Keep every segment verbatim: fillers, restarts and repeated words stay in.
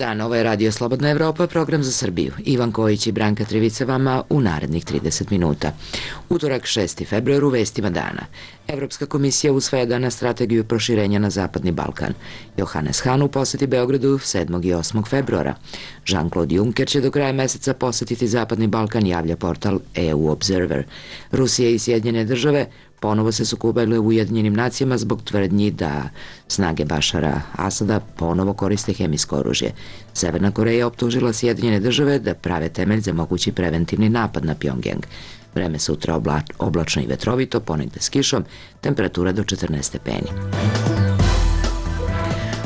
dan, ovo je Radio Slobodna Evropa, program za Srbiju. Ivan Kojić i Branka Trivica vama u narednih trideset minuta. Utorak šesti februar u vestima dana. Evropska komisija usvaja danas strategiju proširenja na Zapadni Balkan. Johannes Hahn u poseti Beogradu sedmog i osmog februara. Jean-Claude Juncker će do kraja meseca posetiti Zapadni Balkan, javlja portal E U Observer. Rusija i Sjedinjene države ponovo se sukobile u Ujedinjenim nacijama zbog tvrdnji da snage Bašara Asada ponovo koriste hemijsko oružje. Severna Koreja optužila Sjedinjene države da prave temelj za mogući preventivni napad na Pjongjang. Vreme sutra obla, oblačno i vetrovito, ponegde s kišom, temperatura do četrnaest stepeni.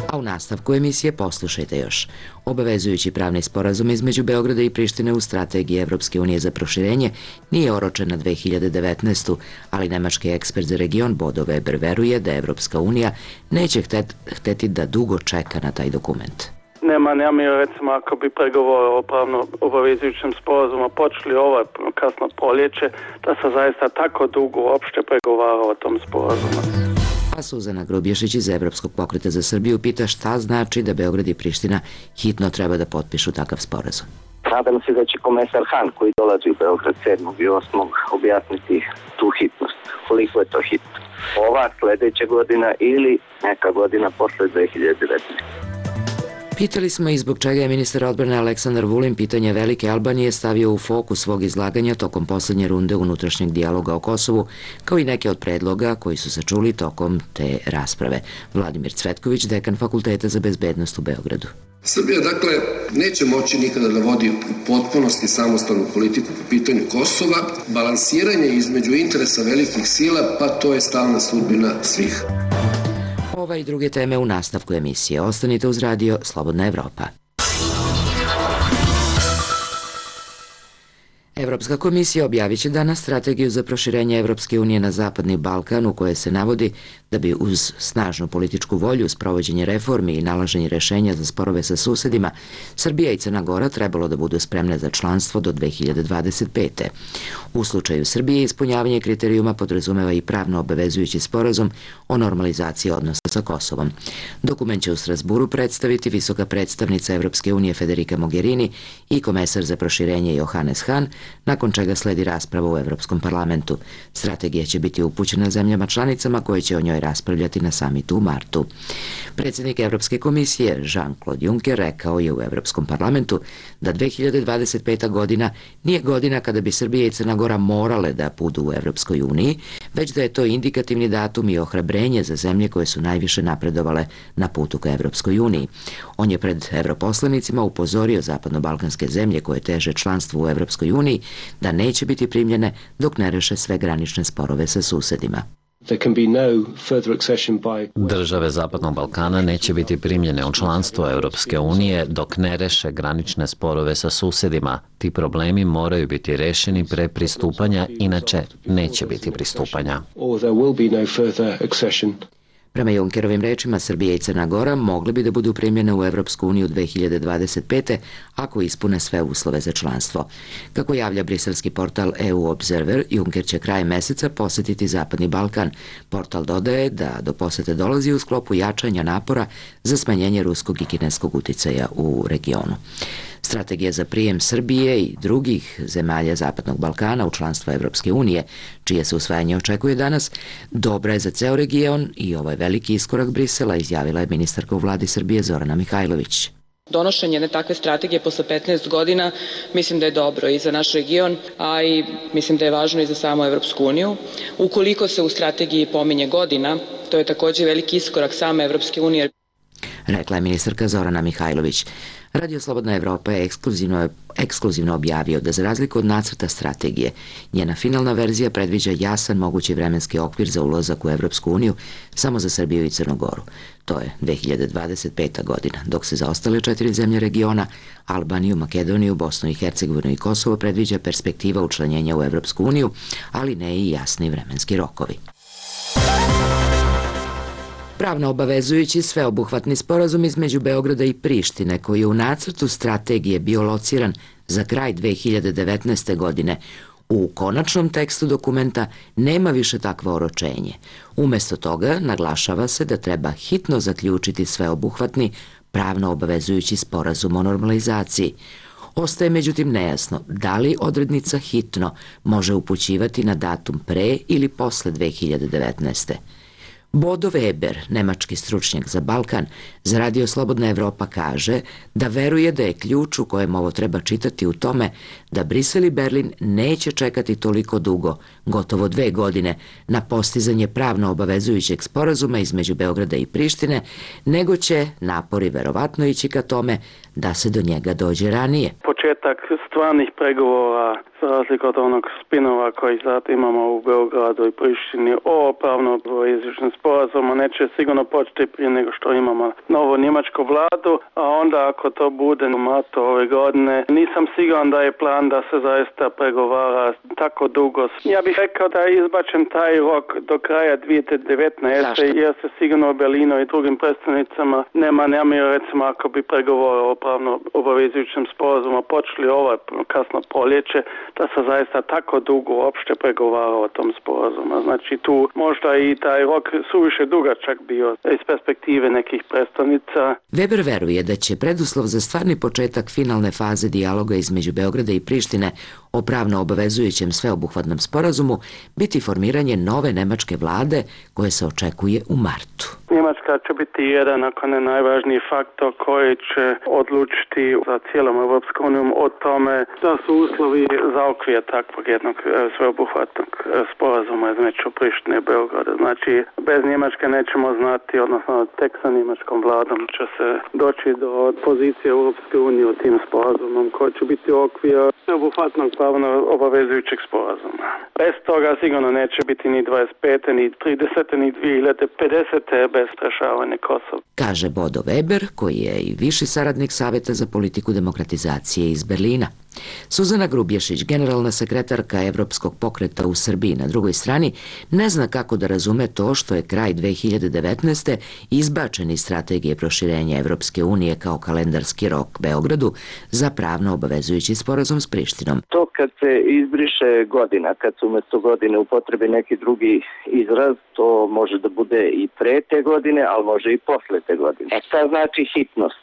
A u nastavku emisije poslušajte još. Obavezujući pravni sporazum između Beograda i Prištine u strategiji Evropske unije za proširenje nije oročen na dve hiljade devetnaestu. ali nemački ekspert za region Bodo Weber veruje da Evropska unija neće htet, hteti da dugo čeka na taj dokument. Nema namjera, recimo, ako bi pregovore o pravno obavezujućem sporazumu počeli ovo kasno proljeće, da se zaista tako dugo uopšte pregovara o tom sporazumu. A Suzana Grubješić iz Evropskog pokreta za Srbiju pita šta znači da Beograd i Priština hitno treba da potpišu takav sporazum. Nadam se da će komesar Hahn koji dolazi u Beograd sedmog i osmog objasniti tu hitnost. Koliko je to hitno? Ova, sledeća godina ili neka godina posle dve hiljade devetnaeste. Pitali smo i zbog čega je ministar odbrane Aleksandar Vulin pitanje Velike Albanije stavio u fokus svog izlaganja tokom poslednje runde unutrašnjeg dijaloga o Kosovu, kao i neke od predloga koji su se čuli tokom te rasprave. Vladimir Cvetković, dekan Fakulteta za bezbednost u Beogradu. Srbija, dakle, neće moći nikada da vodi u potpunosti samostalnu politiku po pitanju Kosova. Balansiranje između interesa velikih sila, pa to je stalna sudbina svih. Ova i druge teme u nastavku emisije. Ostanite uz radio Slobodna Evropa. Evropska komisija objavit će danas strategiju za proširenje Evropske unije na Zapadni Balkan, u kojoj se navodi da bi uz snažnu političku volju, sprovođenje reformi i nalaženje rešenja za sporove sa susedima, Srbija i Crna Gora trebalo da budu spremne za članstvo do dve hiljade dvadeset pete. U slučaju Srbije ispunjavanje kriterijuma podrazumeva i pravno obavezujući sporazum o normalizaciji odnosa sa Kosovom. Dokument će u Strasburu predstaviti visoka predstavnica Evropske unije Federica Mogherini i komesar za proširenje Johannes Hahn, nakon čega sledi rasprava u Evropskom parlamentu. Strategija će biti upućena zemljama članicama koje će o njoj raspravljati na samitu u martu. Predsjednik Evropske komisije Jean-Claude Juncker rekao je u Evropskom parlamentu da dve hiljade dvadeset peta. godina nije godina kada bi Srbija i Crna Gora morale da budu u Evropskoj uniji, već da je to indikativni datum i ohrabrenje za zemlje koje su najviše napredovale na putu ka Evropskoj uniji. On je pred evroposlanicima upozorio zapadno-balkanske zemlje koje teže članstvu u Evropskoj uniji da neće biti primljene dok ne reše sve granične sporove sa susedima. Države Zapadnog Balkana neće biti primljene u članstvo Evropske unije dok ne reše granične sporove sa susedima. Ti problemi moraju biti rešeni pre pristupanja, inače neće biti pristupanja. Prema Junckerovim rečima, Srbija i Crna Gora mogli bi da budu primljene u Evropsku uniju dve hiljade dvadeset pete. ako ispune sve uslove za članstvo. Kako javlja briselski portal E U Observer, Juncker će krajem meseca posetiti Zapadni Balkan. Portal dodaje da do posete dolazi u sklopu jačanja napora za smanjenje ruskog i kineskog uticaja u regionu. Strategija za prijem Srbije i drugih zemalja Zapadnog Balkana u članstvo Evropske unije, čije se usvajanje očekuje danas, dobra je za ceo region i ovo je veliki iskorak Brisela, izjavila je ministarka u vladi Srbije Zorana Mihajlović. Donošenje jedne takve strategije posle petnaest godina mislim da je dobro i za naš region, a i mislim da je važno i za samu Evropsku uniju. Ukoliko se u strategiji pominje godina, to je takođe veliki iskorak same Evropske unije. Rekla je ministarka Zorana Mihajlović. Radio Slobodna Evropa je ekskluzivno, ekskluzivno objavio da za razliku od nacrta strategije, njena finalna verzija predviđa jasan mogući vremenski okvir za ulazak u Evropsku uniju samo za Srbiju i Crnu Goru. To je dve hiljade dvadeset peta. godina, dok se za ostale četiri zemlje regiona, Albaniju, Makedoniju, Bosnu i Hercegovinu i Kosovo, predviđa perspektiva učlanjenja u Evropsku uniju, ali ne i jasni vremenski rokovi. Pravno obavezujući sveobuhvatni sporazum između Beograda i Prištine, koji je u nacrtu strategije bio lociran za kraj dve hiljade devetnaeste. godine, u konačnom tekstu dokumenta nema više takvo oročenje. Umesto toga naglašava se da treba hitno zaključiti sveobuhvatni pravno obavezujući sporazum o normalizaciji. Ostaje međutim nejasno da li odrednica hitno može upućivati na datum pre ili posle dve hiljade devetnaeste. Bodo Weber, nemački stručnjak za Balkan, za Radio Slobodna Evropa kaže da veruje da je ključ u kojem ovo treba čitati u tome da Brisel i Berlin neće čekati toliko dugo, gotovo dve godine, na postizanje pravno obavezujućeg sporazuma između Beograda i Prištine, nego će napori verovatno ići ka tome da se do njega dođe ranije. Početak stvarnih pregovora, za razliku od onog spinova koji sad imamo u Beogradu i Prištini o pravno obavezujućem sporazumu, neće sigurno početi prije nego što imamo novu njemačku vladu, a onda ako to bude u martu ove godine, nisam siguran da je plan da se zaista pregovara tako dugo. Ja bih rekao da je izbačen taj rok do kraja dvije hiljade devetnaeste. Jer se sigurno u Berlinu i drugim predstavnicama nema namjeru, recimo ako bi pregovore o pravno obavezujućem sporazumu počeli ovaj kasno proljeće, da se zaista tako dugo uopšte pregovara o tom sporazumu. Znači tu možda i taj rok suviše dugačak bio iz perspektive nekih predstavnica. Weber veruje da će preduslov za stvarni početak finalne faze dijaloga između Beograda i Prištine o pravno obavezujućem sveobuhvatnom sporazumu biti formiranje nove nemačke vlade koje se očekuje u martu. Njemačka će biti jedan, ako ne najvažniji faktor koji će odlučiti za cijelom Europskom unijom o tome da su uslovi za okvir takvog jednog sveobuhvatnog sporazuma između Prištine i Beograda. Znači, bez Njemačke nećemo znati, odnosno tek sa njemačkom vladom će se doći do pozicije Europske unije u tim sporazumom koji će biti okvir sveobuhvatnog pravno obavezujućeg sporazuma. Bez toga sigurno neće biti ni dvadeset pete, ni tridesete, ni dvije hiljade pedesete bez rešavanja Kosova. Kaže Bodo Weber, koji je i viši saradnik Saveta za politiku demokratizacije iz Berlina. Suzana Grubješić, generalna sekretarka Evropskog pokreta u Srbiji, na drugoj strani, ne zna kako da razume to što je kraj dve hiljade devetnaeste izbačen iz strategije proširenja Evropske unije kao kalendarski rok Beogradu za pravno obavezujući sporazum s Prištinom. To kad se izbriše godina, kad se umjesto godine upotrebi neki drugi izraz, to može da bude i pre te godine, ali može i posle te godine. E šta znači hitnost?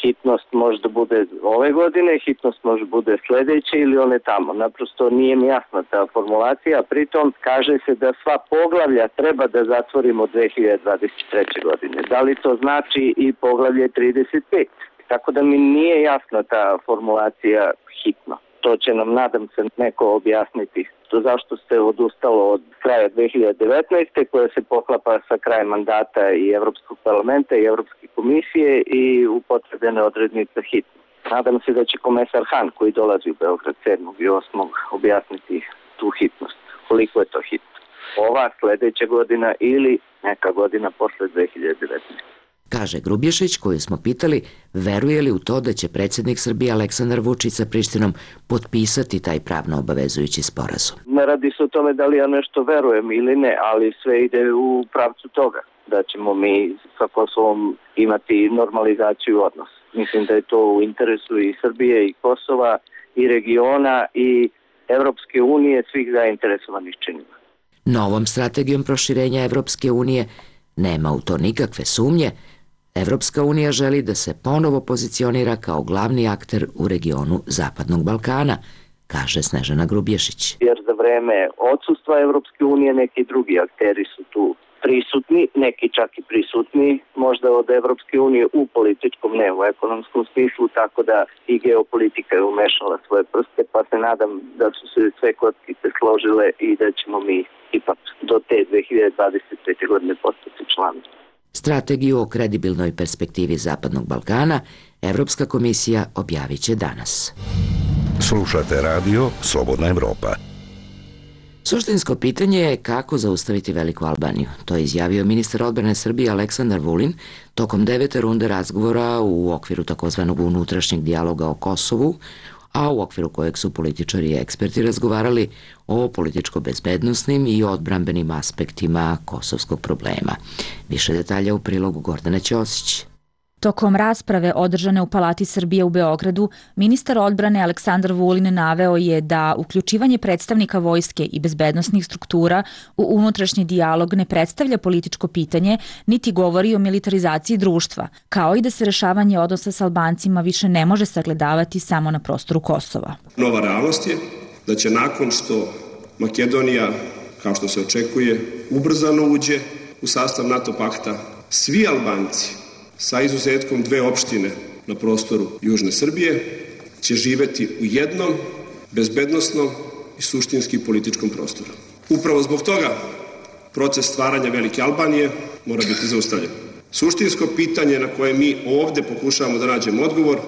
Hitnost može da bude ove godine, hitnost može da bude sledeće ili one tamo. Naprosto nije mi jasna ta formulacija, pritom kaže se da sva poglavlja treba da zatvorimo dve hiljade dvadeset treće. godine. Da li to znači i poglavlje trideset pet? Tako da mi nije jasna ta formulacija hitno. To će nam, nadam se, neko objasniti. To zašto se odustalo od kraja dve hiljade devetnaeste. koja se poklapa sa krajem mandata i Evropskog parlamenta i Evropske komisije i upotrebljene odrednice hitno. Nadam se da će komesar Han, koji dolazi u Beograd sedmog i osmog objasniti tu hitnost. Koliko je to hitno? Ova, sledeća godina ili neka godina posle dve hiljade devetnaeste. Kaže Grubješić, koju smo pitali, veruje li u to da će predsjednik Srbije Aleksandar Vučić sa Prištinom potpisati taj pravno obavezujući sporazum. Ne radi se o tome da li ja nešto verujem ili ne, ali sve ide u pravcu toga da ćemo mi sa Kosovom imati normalizaciju odnosa. Mislim da je to u interesu i Srbije i Kosova i regiona i Evropske unije, svih zainteresovanih činova. Novom strategijom proširenja Evropske unije nema u to nikakve sumnje. Evropska unija želi da se ponovo pozicionira kao glavni akter u regionu Zapadnog Balkana, kaže Snežana Grubješić. Jer za vreme odsustva Evropske unije neki drugi akteri su tu prisutni, neki čak i prisutni, možda od Evropske unije u političkom, ne u ekonomskom smislu, tako da i geopolitika je umešala svoje prste, pa se nadam da su se sve kockice složile i da ćemo mi ipak do te dve hiljade dvadeset pete. godine postati član. Strategiju o kredibilnoj perspektivi Zapadnog Balkana Evropska komisija objavit će danas. Slušate radio Slobodna Evropa. Suštinsko pitanje je kako zaustaviti Veliku Albaniju. To je izjavio ministar odbrane Srbije Aleksandar Vulin tokom devete runde razgovora u okviru takozvanog unutrašnjeg dijaloga o Kosovu, a u okviru kojeg su političari i eksperti razgovarali o političko-bezbednosnim i odbrambenim aspektima kosovskog problema. Više detalja u prilogu Gordane Ćosić. Tokom rasprave održane u Palati Srbije u Beogradu, ministar odbrane Aleksandar Vulin naveo je da uključivanje predstavnika vojske i bezbednosnih struktura u unutrašnji dijalog ne predstavlja političko pitanje, niti govori o militarizaciji društva, kao i da se rešavanje odnosa s Albancima više ne može sagledavati samo na prostoru Kosova. Nova realnost je da će nakon što Makedonija, kao što se očekuje, ubrzano uđe u sastav NATO pakta, svi Albanci, sa izuzetkom dve opštine na prostoru Južne Srbije, će živeti u jednom bezbednosnom i suštinski političkom prostoru. Upravo zbog toga proces stvaranja Velike Albanije mora biti zaustavljen. Suštinsko pitanje na koje mi ovde pokušavamo da nađemo odgovor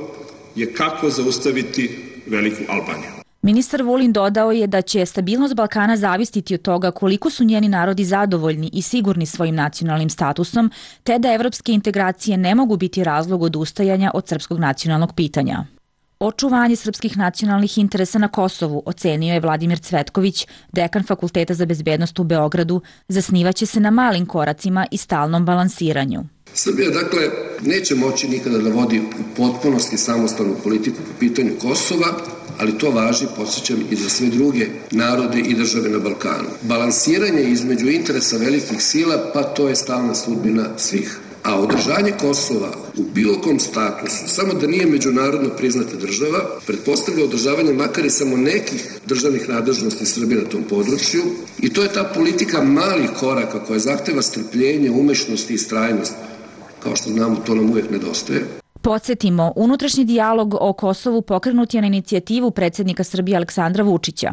je kako zaustaviti Veliku Albaniju. Ministar Vulin dodao je da će stabilnost Balkana zavisiti od toga koliko su njeni narodi zadovoljni i sigurni svojim nacionalnim statusom, te da evropske integracije ne mogu biti razlog odustajanja od srpskog nacionalnog pitanja. Očuvanje srpskih nacionalnih interesa na Kosovu, ocenio je Vladimir Cvetković, dekan Fakulteta za bezbednost u Beogradu, zasnivaće se na malim koracima i stalnom balansiranju. Srbija, dakle, neće moći nikada da vodi u potpunosti samostalnu politiku po pitanju Kosova, ali to važi, podsjećam, i za sve druge narode i države na Balkanu. Balansiranje između interesa velikih sila, pa to je stalna sudbina svih. A održanje Kosova u bilo kom statusu, samo da nije međunarodno priznata država, pretpostavlja održavanje makar i samo nekih državnih nadležnosti Srbije na tom području, i to je ta politika malih koraka koja zahteva strpljenje, umešnost i istrajnost. Kao što znamo, to nam uvek nedostaje. Podsjetimo, unutrašnji dijalog o Kosovu pokrenut je na inicijativu predsjednika Srbije Aleksandra Vučića.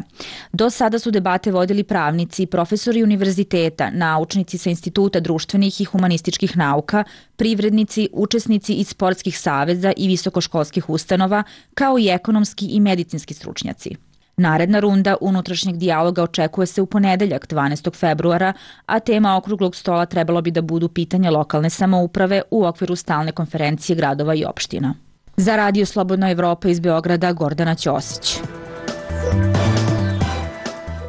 Do sada su debate vodili pravnici, profesori univerziteta, naučnici sa Instituta društvenih i humanističkih nauka, privrednici, učesnici iz sportskih saveza i visokoškolskih ustanova, kao i ekonomski i medicinski stručnjaci. Naredna runda unutrašnjeg dijaloga očekuje se u ponedeljak dvanaestog februara, a tema okruglog stola trebalo bi da budu pitanja lokalne samouprave u okviru stalne konferencije gradova i opština. Za Radio Slobodna Evropa iz Beograda, Gordana Ćosić.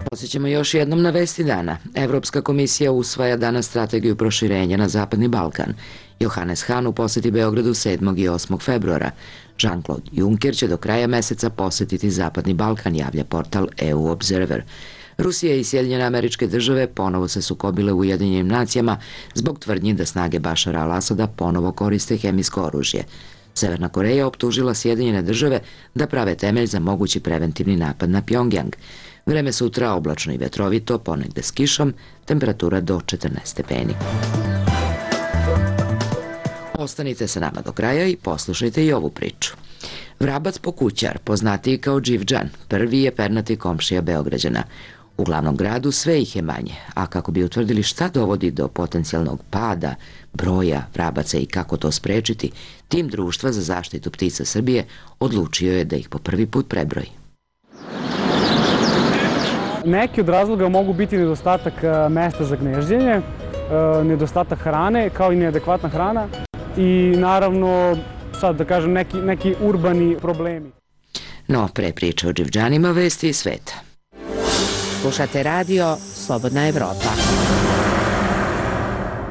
Posjećamo još jednom na vesti dana. Evropska komisija usvaja danas strategiju proširenja na Zapadni Balkan. Johannes Hahn u poseti Beogradu sedmog i osmog februara. Jean-Claude Juncker će do kraja meseca posetiti Zapadni Balkan, javlja portal E U Observer. Rusija i Sjedinjene Američke Države ponovo se sukobile u Ujedinjenim nacijama zbog tvrdnji da snage Bašara al-Asada ponovo koriste hemijsko oružje. Severna Koreja optužila Sjedinjene Države da prave temelj za mogući preventivni napad na Pjongjang. Vreme sutra oblačno i vetrovito, ponegde s kišom, temperatura do četrnaest stepeni. Ostanite sa nama do kraja i poslušajte i ovu priču. Vrabac Pokućar, poznatiji kao Đivđan, prvi je pernati komšija Beograđana. U glavnom gradu sve ih je manje, a kako bi utvrdili šta dovodi do potencijalnog pada broja vrabaca i kako to sprečiti, tim Društva za zaštitu ptica Srbije odlučio je da ih po prvi put prebroji. Neki od razloga mogu biti nedostatak mesta za gnezđenje, nedostatak hrane, kao i neadekvatna hrana i naravno, sad da kažem, neki, neki urbani problemi. No, pre priče o Đivđanima, vesti iz sveta. Slušate radio Slobodna Evropa.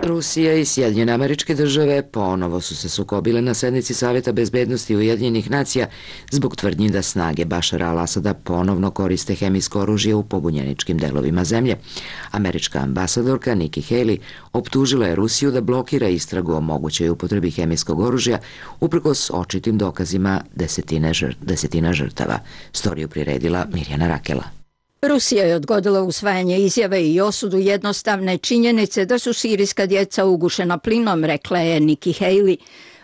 Rusija i Sjedinjene Američke Države ponovo su se sukobile na sednici Saveta bezbednosti Ujedinjenih nacija zbog tvrdnji da snage Bašara al-Asada ponovno koriste hemijsko oružje u pobunjeničkim delovima zemlje. Američka ambasadorka Nikki Haley optužila je Rusiju da blokira istragu o mogućoj upotrebi hemijskog oružja uprkos očitim dokazima desetine žr, desetina žrtava. Storiju priredila Mirjana Rakela. Rusija je odgodila usvajanje izjave i osudu jednostavne činjenice da su sirijska djeca ugušena plinom, rekla je Nikki Haley.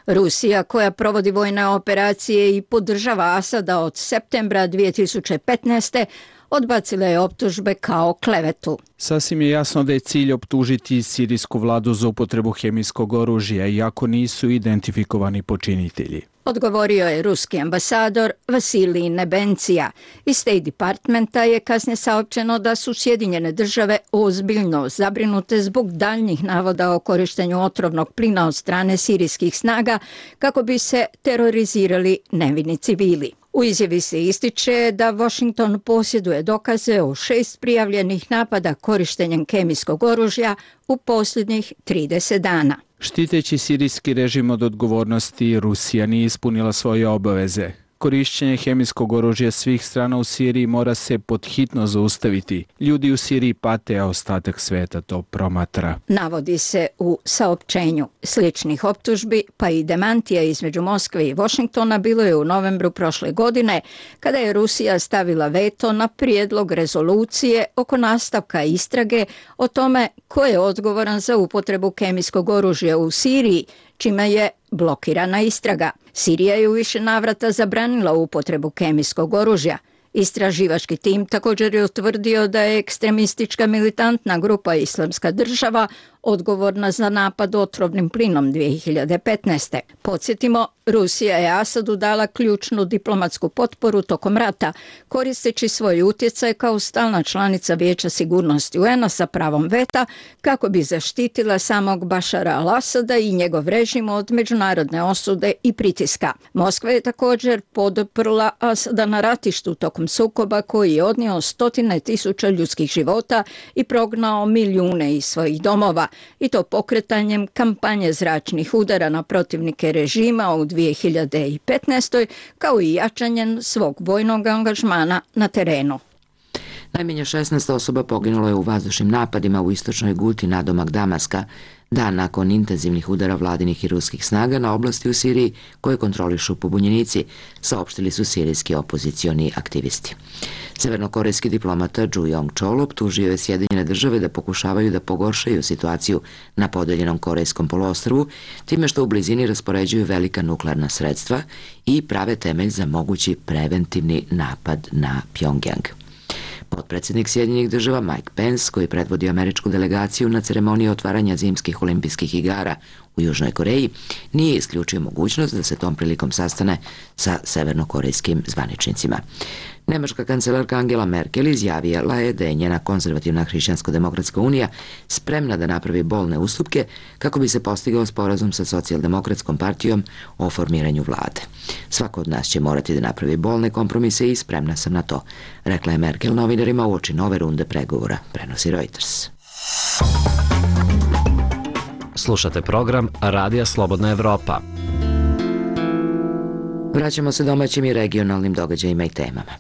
Rusija, koja provodi vojne operacije i podržava Asada od septembra dvije tisuće petnaeste. odbacila je optužbe kao klevetu. Sasvim je jasno da je cilj optužiti sirijsku vladu za upotrebu hemijskog oružja, iako nisu identifikovani počinitelji. Odgovorio je ruski ambasador Vasilij Nebencija. Iz State Departmenta je kasnije saopćeno da su Sjedinjene države ozbiljno zabrinute zbog daljnjih navoda o korištenju otrovnog plina od strane sirijskih snaga kako bi se terorizirali nevini civili. U izjavi se ističe da Washington posjeduje dokaze o šest prijavljenih napada korištenjem kemijskog oružja u posljednjih trideset dana. Štiteći sirijski režim od odgovornosti, Rusija nije ispunila svoje obaveze. Korišćenje hemijskog oružja svih strana u Siriji mora se podhitno zaustaviti. Ljudi u Siriji pate, a ostatak sveta to promatra. Navodi se u saopćenju. Sličnih optužbi pa i demantija između Moskve i Washingtona bilo je u novembru prošle godine, kada je Rusija stavila veto na prijedlog rezolucije oko nastavka istrage o tome ko je odgovoran za upotrebu kemijskog oružja u Siriji, čime je blokirana istraga. Sirija je u više navrata zabranila upotrebu kemijskog oružja. Istraživački tim također je utvrdio da je ekstremistička militantna grupa Islamska država odgovorna za napad otrovnim plinom dvije hiljade petnaeste. Podsjetimo, Rusija je Asadu dala ključnu diplomatsku potporu tokom rata, koristeći svoj utjecaj kao stalna članica Vijeća sigurnosti U N-a sa pravom veta, kako bi zaštitila samog Bašara al-Asada i njegov režim od međunarodne osude i pritiska. Moskva je također poduprla Asada na ratištu tokom sukoba koji je odnio stotine tisuća ljudskih života i prognao milijune iz svojih domova, i to pokretanjem kampanje zračnih udara na protivnike režima u dvije hiljade petnaestoj kao i jačanjem svog vojnog angažmana na terenu. Najmanje šesnaest osoba poginulo je u vazdušnim napadima u istočnoj Guti nadomak Damaska, dan nakon intenzivnih udara vladinih i ruskih snaga na oblasti u Siriji koje kontrolišu pobunjenici, saopštili su sirijski opozicioni aktivisti. Severnokorejski diplomata Ju Yong-chol optužio je Sjedinjene države da pokušavaju da pogoršaju situaciju na podeljenom Korejskom poluostrvu, time što u blizini raspoređuju velika nuklearna sredstva i prave temelj za mogući preventivni napad na Pjongjang. Potpredsjednik Sjedinjenih država Mike Pence, koji predvodi američku delegaciju na ceremoniji otvaranja zimskih olimpijskih igara u Južnoj Koreji, nije isključio mogućnost da se tom prilikom sastane sa severnokorejskim zvaničnicima. Nemačka kancelarka Angela Merkel izjavila je da je njena konzervativna hrišćansko-demokratska unija spremna da napravi bolne ustupke kako bi se postigao sporazum sa socijaldemokratskom partijom o formiranju vlade. Svako od nas će morati da napravi bolne kompromise i spremna sam na to, rekla je Merkel novinarima uoči nove runde pregovora, prenosi Reuters. Slušate program Radija Slobodna Evropa. Vraćamo se domaćim i regionalnim događajima i temama.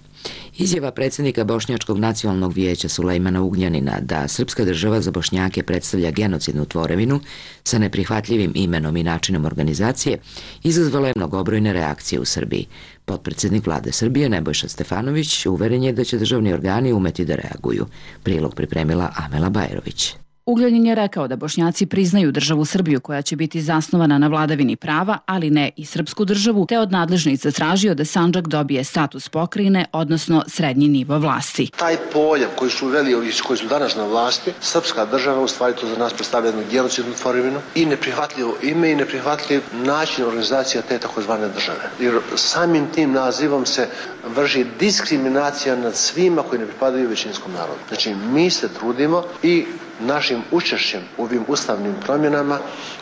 Izjava predsjednika Bošnjačkog nacionalnog vijeća Sulejmana Ugljanina da srpska država za Bošnjake predstavlja genocidnu tvorevinu sa neprihvatljivim imenom i načinom organizacije izazvala je mnogobrojne reakcije u Srbiji. Potpredsjednik vlade Srbije Nebojša Stefanović uveren je da će državni organi umeti da reaguju. Prilog pripremila Amela Bajerović. Ugljanin je rekao da Bošnjaci priznaju državu Srbiju koja će biti zasnovana na vladavini prava, ali ne i srpsku državu, te od nadležnih zatražio da Sandžak dobije status pokrajine, odnosno srednji nivo vlasti. Taj pojam koji su uveli ovi koji su danas na vlasti, srpska država u stvari to za nas predstavlja jednu genocidnu tvorevinu i neprihvatljivo ime i neprihvatljiv način organizacija te takozvane države. Jer samim tim nazivom se vrši diskriminacija nad svima koji ne pripadaju većinskom narodu. Znači mi se trudimo i našim učešćem u ovim ustavnim promjenama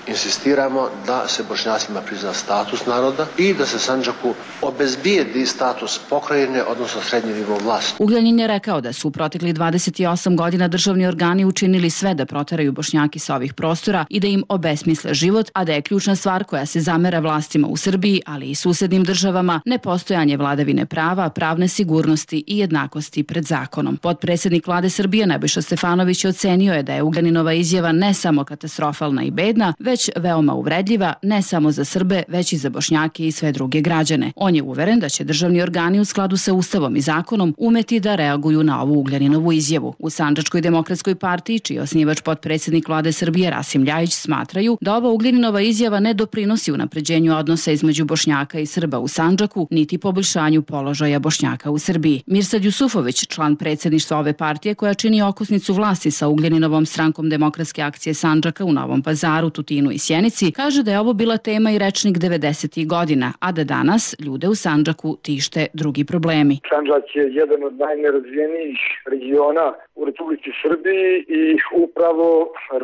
insistiramo da se Bošnjacima prizna status naroda i da se Sandžaku obezbijedi status pokrajine, odnosno srednji nivo vlasti. Ugljanin je rekao da su u proteklih dvadeset osam godina državni organi učinili sve da proteraju Bošnjaki sa ovih prostora i da im obesmisle život, a da je ključna stvar koja se zamera vlastima u Srbiji, ali i susednim državama, nepostojanje vladavine prava, pravne sigurnosti i jednakosti pred zakonom. Potpredsjednik vlade Srbije Nebojša Stefanović ocenio je da je Ugljaninova izjava ne samo katastrofalna i bedna, već veoma uvredljiva, ne samo za Srbe, već i za Bošnjake i sve druge građane. On je uveren da će državni organi u skladu sa Ustavom i zakonom umeti da reaguju na ovu Ugljaninovu izjavu. U Sandžačkoj demokratskoj partiji, čiji je osnivač potpredsjednik vlade Srbije Rasim Ljajić, smatraju da ova Ugljaninova izjava ne doprinosi unapređenju odnosa između Bošnjaka i Srba u Sandžaku, niti poboljšanju položaja Bošnjaka u Srbiji. Mirsad Jusufović, član predsjedništva ove partije koja čini okosnicu vlasti sa Ugljaninovom strankom Demokratske akcije Sandžaka u Novom Pazaru, Tutinu i Sjenici, kaže da je ovo bila tema i rečnik devedesetih godina, a da danas ljude u Sandžaku tište drugi problemi. Sandžak je jedan od najnerazvijenijih regiona u Republici Srbiji i upravo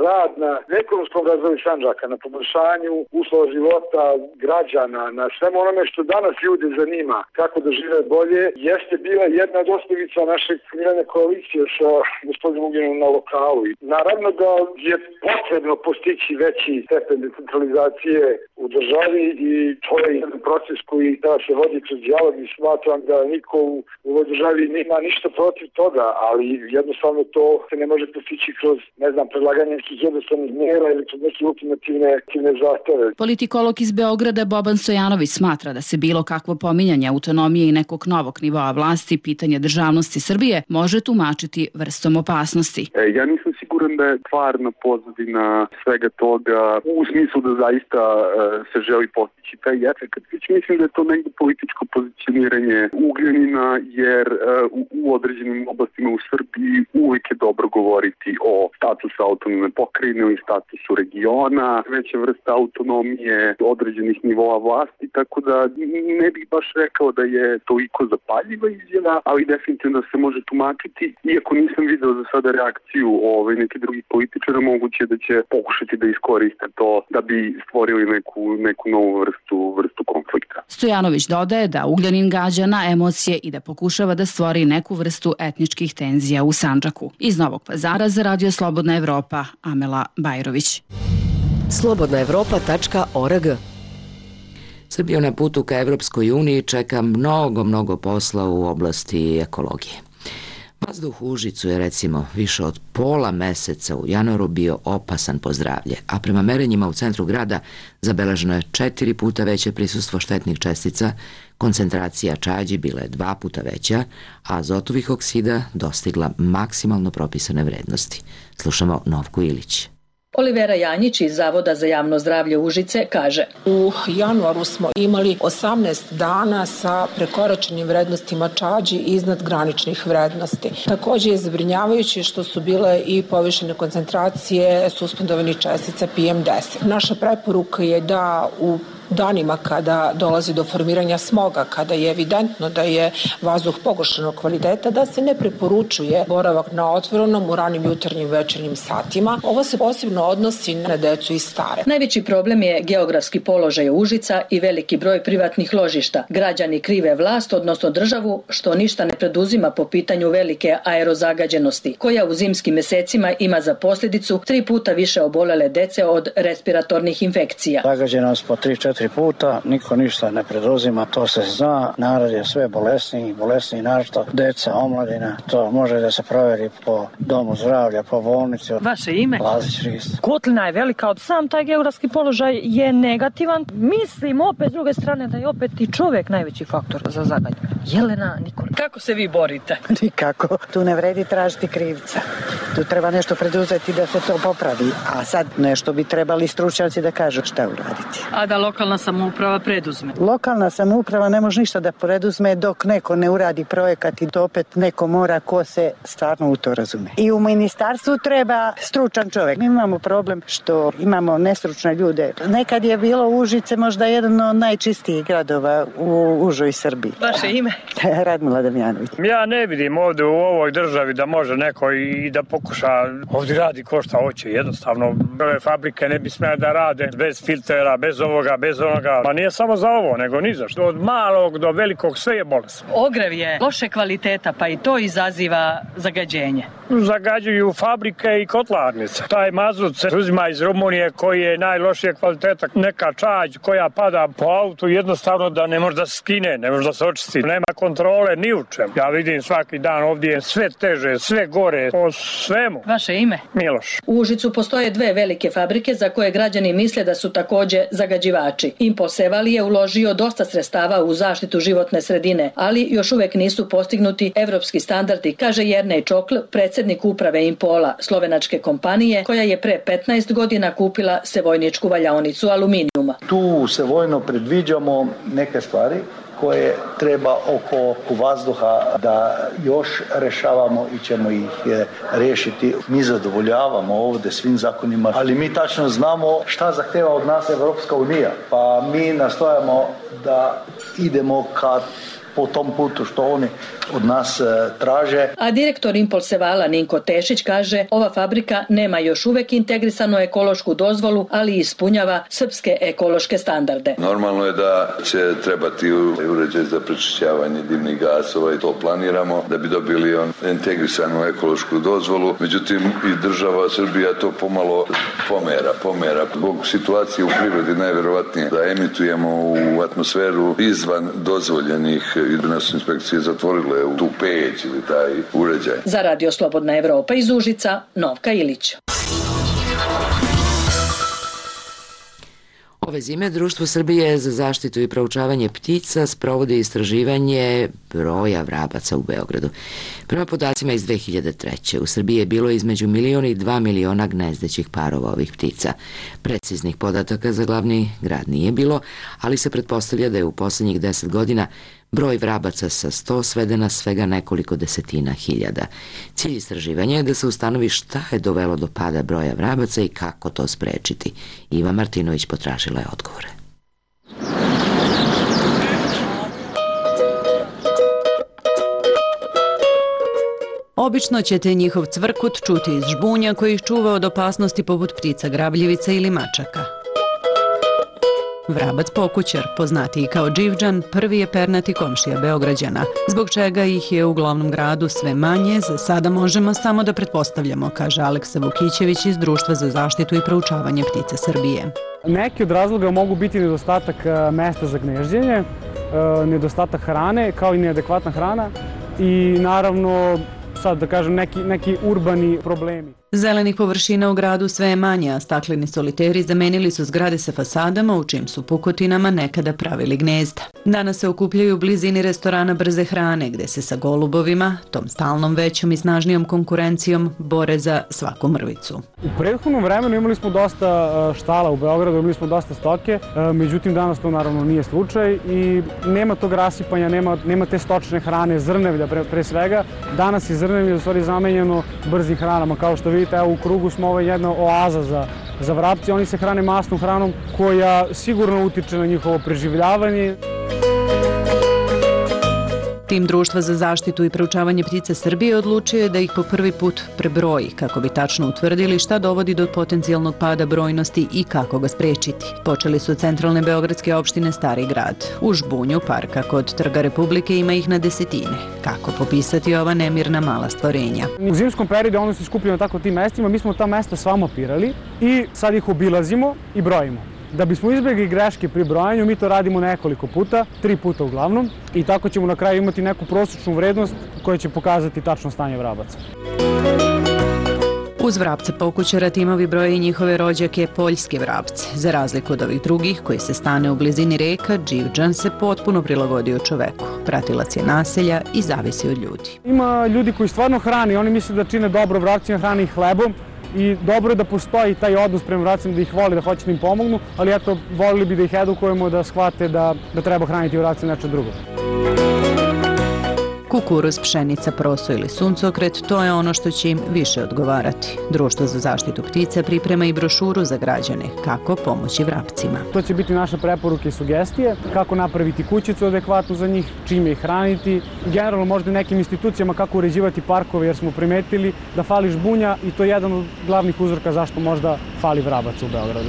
rad na ekonomskom razvoju Sandžaka, na poboljšanju uslova života građana, na svemu onome što danas ljude zanima, kako da žive bolje, jeste bila jedna od osnovica naše formirane koalicije sa gospodinom Ugljanom na lokalu i Naravno da je potrebno postići veći stepen decentralizacije u državi i to je jedan proces koji da se vodi kroz dijalog i smatram da niko u ovoj državi nema ništa protiv toga, ali jednostavno to se ne može postići kroz, ne znam, predlaganje nekih jednostavnih mjera ili kroz neke ultimativne zahteve. Politikolog iz Beograda Boban Stojanović smatra da se bilo kakvo pominjanje autonomije i nekog novog nivoa vlasti, pitanje državnosti Srbije, može tumačiti vrstom opasnosti. E, ja nisam siguran da je stvarna pozadina svega toga u smislu da zaista e, se želi postići taj efekt. Već mislim da je to negdje političko pozicioniranje Ugljanina, jer e, u, u određenim oblastima u Srbiji uvijek je dobro govoriti o statusu autonomne pokrajine ili statusu regiona, veća vrsta autonomije određenih nivoa vlasti, tako da ne bih baš rekao da je toliko zapaljiva izjava, ali definitivno se može tumačiti, iako nisam video za sada reakciju ove neke drugih političara, moguće da će pokušati da iskoriste to da bi stvorili neku, neku novu vrstu, vrstu konflikta. Stojanović dodaje da Ugljanin gađa na emocije i da pokušava da stvori neku vrstu etničkih tenzija u Sandžaku. Iz Novog Pazara za Radio Slobodna Evropa, Amela Bajrović. slobodna evropa tačka org. Srbiju na putu ka Evropskoj uniji čeka mnogo, mnogo posla u oblasti ekologije. Vazduh u Užicu je recimo više od pola meseca u januaru bio opasan po zdravlje, a prema merenjima u centru grada zabeleženo je četiri puta veće prisustvo štetnih čestica, koncentracija čađi bila je dva puta veća, a azotovih oksida dostigla maksimalno propisane vrednosti. Slušamo Novku Ilić. Olivera Janjić iz Zavoda za javno zdravlje Užice kaže: U januaru smo imali osamnaest dana sa prekoračenim vrednostima čađi iznad graničnih vrednosti. Također je zabrinjavajuće što su bile i povišene koncentracije suspendovanih čestica P M deset. Naša preporuka je da u danima kada dolazi do formiranja smoga, kada je evidentno da je vazduh pogoršanog kvaliteta, da se ne preporučuje boravak na otvorenom u ranim jutarnjim večernjim satima. Ovo se posebno odnosi na decu i stare. Najveći problem je geografski položaj Užica i veliki broj privatnih ložišta. Građani krive vlast, odnosno državu, što ništa ne preduzima po pitanju velike aerozagađenosti, koja u zimskim mesecima ima za posljedicu tri puta više obolele dece od respiratornih infekcija. Zagađenost po tri četiri puta, niko ništa ne preduzima, to se zna, narod je sve bolesniji, bolesniji našto, deca, omladina, to može da se proveri po domu zdravlja, po bolnici. Vaše ime? Lazić Risto. Kotlina je velika, od sam taj geografski položaj je negativan. Mislim opet s druge strane da je opet i čovjek najveći faktor za zagađenje. Jelena Nikola. Kako se vi borite? Nikako. Tu ne vredi tražiti krivca. Tu treba nešto preduzeti da se to popravi. A sad nešto bi trebali stručnjaci da kažu šta uraditi. A da lokalna samouprava preduzme? Lokalna samouprava ne može ništa da preduzme dok neko ne uradi projekat i to opet neko mora ko se stvarno u to razume. I u ministarstvu treba stručan čovjek. Mi imamo problem što imamo nestručne ljude. Nekad je bilo Užice možda jedan od najčistijih gradova u užoj Srbiji. Vaše ime? Radmila Damjanović. Ja ne vidim ovdje u ovoj državi da može neko i da pokuša ovdje radi ko šta hoće. Jednostavno, ove fabrike ne bi smjeli da rade bez filtera, bez ovoga, bez onoga. Pa nije samo za ovo, nego ni za što. Od malog do velikog sve je bolesno. Ogrev je loše kvaliteta, pa i to izaziva zagađenje. Zagađuju fabrike i kotlarnice. Taj mazut se uzima iz Rumunije koji je najlošije kvaliteta. Neka čađ koja pada po autu jednostavno da ne može da se skine, ne može da se očisti. Nema kontrole ni u čemu. Ja vidim svaki dan ovdje sve teže, sve gore, po svemu. Vaše ime? Miloš. U Užicu postoje dve velike fabrike za koje građani misle da su također zagađivači. Impol Sevali je uložio dosta sredstava u zaštitu životne sredine, ali još uvek nisu postignuti evropski standardi, kaže Jernej Čokl, predsjednik uprave Impola, slovenačke kompanije, koja je pre petnaest godina kupila sevojničku valjaonicu aluminijuma. Tu u Sevojno predviđamo neke stvari koje treba oko vazduha da još rešavamo i ćemo ih riješiti. Mi zadovoljavamo ovdje svim zakonima, ali mi tačno znamo šta zahteva od nas Evropska unija. Pa mi nastojamo da idemo ka po tom putu što oni od nas traže. A direktor Impolsevala Ninko Tešić kaže ova fabrika nema još uvek integrisanu ekološku dozvolu, ali ispunjava srpske ekološke standarde. Normalno je da će trebati uređaj za prečišćavanje dimnih gasova i to planiramo da bi dobili on integrisanu ekološku dozvolu. Međutim, i država Srbija to pomalo pomera, pomera. Zbog situacije u prirodi najverovatnije da emitujemo u atmosferu izvan dozvoljenih i da nas inspekcije zatvorile u tu peć ili taj uređaj. Za Radio Slobodna Evropa iz Užica, Novka Ilić. Ove zime Društvo Srbije za zaštitu i proučavanje ptica sprovodi istraživanje broja vrabaca u Beogradu. Prema podacima iz dve hiljade treće. u Srbiji je bilo između milion i dva miliona gnezdećih parova ovih ptica. Preciznih podataka za glavni grad nije bilo, ali se pretpostavlja da je u poslednjih deset godina broj vrabaca sa sto sveden na svega nekoliko desetina hiljada. Cilj istraživanja je da se ustanovi šta je dovelo do pada broja vrabaca i kako to sprečiti. Iva Martinović potražila je odgovore. Obično ćete njihov cvrkut čuti iz žbunja koji ih čuva od opasnosti poput ptica grabljivica ili mačaka. Vrabac pokućar, poznatiji kao Dživđan, prvi je pernati komšija Beograđana, zbog čega ih je u glavnom gradu sve manje, za sada možemo samo da pretpostavljamo, kaže Aleksa Vukićević iz Društva za zaštitu i proučavanje ptica Srbije. Neki od razloga mogu biti nedostatak mesta za gnezđenje, nedostatak hrane, kao i neadekvatna hrana i naravno, sad da kažem, neki, neki urbani problemi. Zelenih površina u gradu sve je manje, a stakleni soliteri zamenili su zgrade sa fasadama u čim su pukotinama nekada pravili gnezda. Danas se okupljaju u blizini restorana brze hrane, gde se sa golubovima, tom stalnom većom i snažnijom konkurencijom, bore za svaku mrvicu. U prethodnom vremenu imali smo dosta štala u Beogradu, imali smo dosta stoke, međutim danas to naravno nije slučaj i nema tog rasipanja, nema, nema te stočne hrane, zrnevlja pre, pre svega. Danas je zrnevlje u stvari zamenjeno brzim hranama, kao što vidite. Evo, u krugu smo ovo jedna oaza za, za vrapci. Oni se hrane masnom hranom koja sigurno utiče na njihovo preživljavanje. Tim Društva za zaštitu i proučavanje ptica Srbije odlučio je da ih po prvi put prebroji, kako bi tačno utvrdili šta dovodi do potencijalnog pada brojnosti i kako ga sprečiti. Počeli su od centralne beogradske opštine Stari grad. U žbunju parka kod Trga Republike ima ih na desetine. Kako popisati ova nemirna mala stvorenja? U zimskom periodu oni su skupljeni na tako tim mestima, mi smo ta mesta sva mapirali i sad ih obilazimo i brojimo. Da bismo izbjegli greške pri brojanju, mi to radimo nekoliko puta, tri puta uglavnom, i tako ćemo na kraju imati neku prosječnu vrednost koja će pokazati tačno stanje vrabaca. Uz vrapca pokućara timovi broje i njihove rođake poljske vrapce. Za razliku od ovih drugih koji se stane u blizini reka, Dživđan se potpuno prilagodio čoveku. Pratilac je naselja i zavisi od ljudi. Ima ljudi koji stvarno hrani, oni misle da čine dobro vrapcima, hrani ih hlebom. I dobro je da postoji taj odnos prema vrapcima, da ih voli, da hoće da im pomognu, ali eto, volili bi da ih edukujemo, da shvate da, da treba hraniti vrapcima nešto drugo. Kukuruz, pšenica, proso ili suncokret, to je ono što će im više odgovarati. Društvo za zaštitu ptica priprema i brošuru za građane, kako pomoći vrapcima. To će biti naše preporuke i sugestije, kako napraviti kućicu adekvatnu za njih, čime ih hraniti, generalno možda nekim institucijama kako uređivati parkove, jer smo primetili da fali žbunja i to je jedan od glavnih uzroka zašto možda fali vrabaca u Beogradu.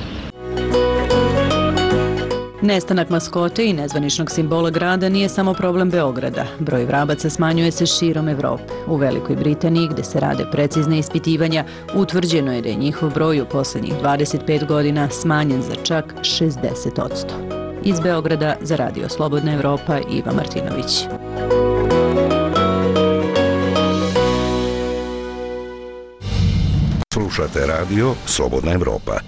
Nestanak maskote i nezvaničnog simbola grada nije samo problem Beograda. Broj vrabaca smanjuje se širom Evrope. U Velikoj Britaniji, gde se rade precizne ispitivanja, utvrđeno je da je njihov broj u poslednjih dvadeset pet godina smanjen za čak šezdeset odsto. Iz Beograda za Radio Slobodna Evropa, Iva Martinović. Slušate Radio Slobodna Evropa.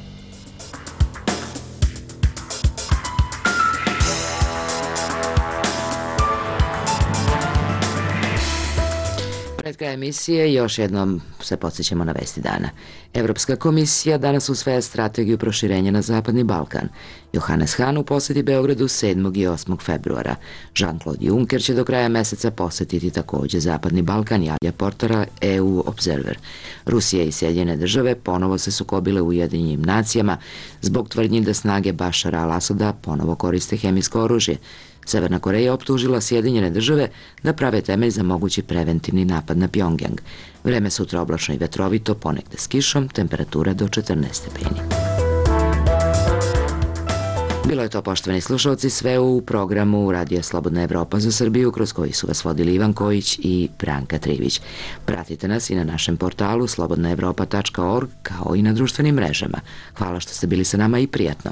Pred krajem emisije još jednom se podsjećamo na vesti dana. Evropska komisija danas usvaja strategiju proširenja na Zapadni Balkan. Johannes Hahn u poseti Beogradu sedmog i osmog februara. Jean-Claude Juncker će do kraja meseca posetiti takođe Zapadni Balkan, javlja portala E U Observer. Rusija i Sjedinjene države ponovo se sukobile u Ujedinjenim nacijama zbog tvrdnji da snage Bašara al-Asada ponovo koriste hemijsko oružje. Severna Koreja optužila Sjedinjene države da prave temelj za mogući preventivni napad na Pjongjang. Vreme sutra oblačno i vetrovito, ponegde s kišom, temperatura do četrnaest stepeni. Bilo je to, poštovani slušalci, sve u programu Radija Slobodna Evropa za Srbiju, kroz koji su vas vodili Ivan Kojić i Branka Trivić. Pratite nas i na našem portalu slobodna evropa tačka org, kao i na društvenim mrežama. Hvala što ste bili sa nama i prijatno.